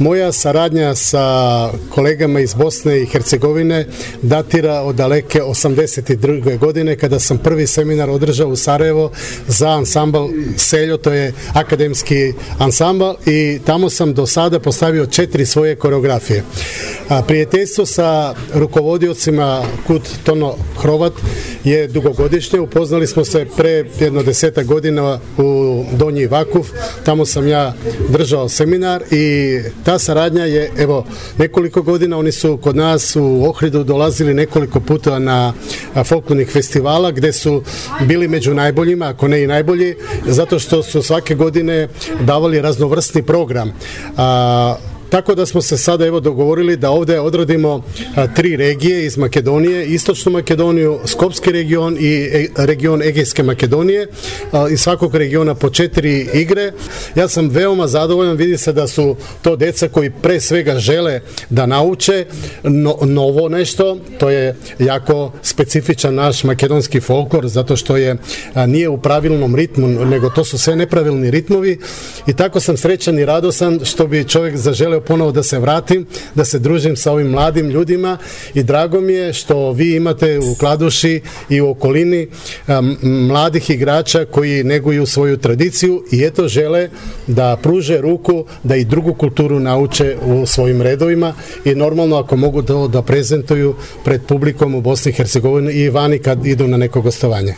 Moja saradnja sa kolegama iz Bosne i Hercegovine datira od daleke 82. godine kada sam prvi seminar održao u Sarajevo za ansambl Seljo, to je akademski ansambl, i tamo sam do sada postavio 4 svoje koreografije. Prijateljstvo sa rukovodiocima Kut Tono Hrovat je dugogodišnje. Upoznali smo se pre jedno 10 godina u Donji Vakuf. Tamo sam ja držao seminar i ta saradnja je nekoliko godina. Oni su kod nas u Ohridu dolazili nekoliko puta na folklornih festivala gde su bili među najboljima, ako ne i najbolji, zato što su svake godine davali raznovrsni program. Tako da smo se sada dogovorili da ovde odradimo 3 regije iz Makedonije, Istočnu Makedoniju, Skopski region i region Egejske Makedonije, iz svakog regiona po 4 igre. Ja sam veoma zadovoljan, vidi se da su to deca koji pre svega žele da nauče novo nešto, to je jako specifičan naš makedonski folklor, zato što nije u pravilnom ritmu, nego to su sve nepravilni ritmovi, i tako sam srećan i radosan što bi čovjek zaželeo ponovo da se vratim, da se družim sa ovim mladim ljudima, i drago mi je što vi imate u Kladuši i u okolini mladih igrača koji neguju svoju tradiciju i žele da pruže ruku, da i drugu kulturu nauče u svojim redovima, i normalno ako mogu da prezentuju pred publikom u Bosni i Hercegovini i vani kad idu na neko gostovanje.